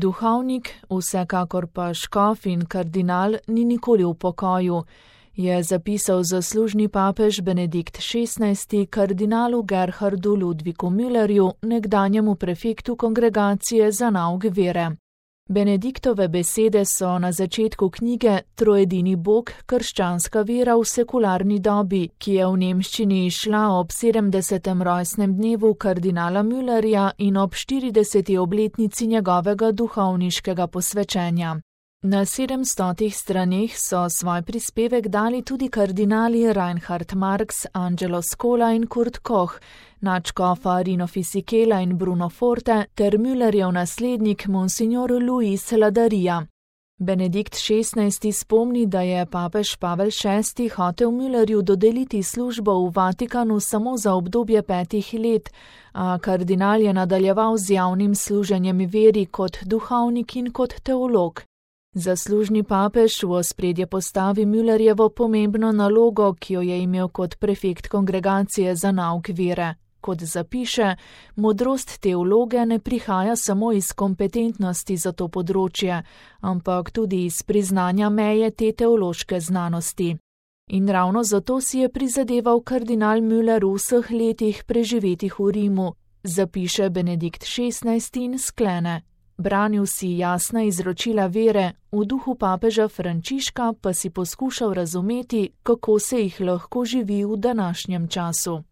Duhovnik, vsekakor pa škof in kardinal ni nikoli v pokoju, je zapisal zaslužni papež Benedikt XVI kardinalu Gerhardu Ludviku Müllerju, nekdanjemu prefektu Kongregacije za nauk vere. Benediktove besede so na začetku knjige Trojedini Bog, krščanska vera v sekularni dobi, ki je v nemščini izšla ob 70. rojstnem dnevu kardinala Müllerja in ob 40. obletnici njegovega duhovniškega posvečenja. Na 700 straneh so svoj prispevek dali tudi kardinali Reinhard Marx, Angelo Scola in Kurt Koch, nadškofa Rino Fisichella in Bruno Forte ter Müllerjev naslednik Monsignor Luis Ladaria. Benedikt XVI spomni, da je papež Pavel VI hotel Müllerju dodeliti službo v Vatikanu samo za obdobje 5 let, a kardinal je nadaljeval z javnim služenjem veri kot duhovnik in kot teolog. Zaslužni papež v ospredje postavi Müllerjevo pomembno nalogo, ki jo je imel kot prefekt Kongregacije za nauk vere. Kot zapiše, modrost teologe ne prihaja samo iz kompetentnosti za to področje, ampak tudi iz priznanja meje te teološke znanosti. In ravno zato si je prizadeval kardinal Müller v vseh letih preživetih v Rimu, zapiše Benedikt XVI in sklene. Branil si jasna izročila vere, v duhu papeža Frančiška pa si poskušal razumeti, kako se jih lahko živi v današnjem času.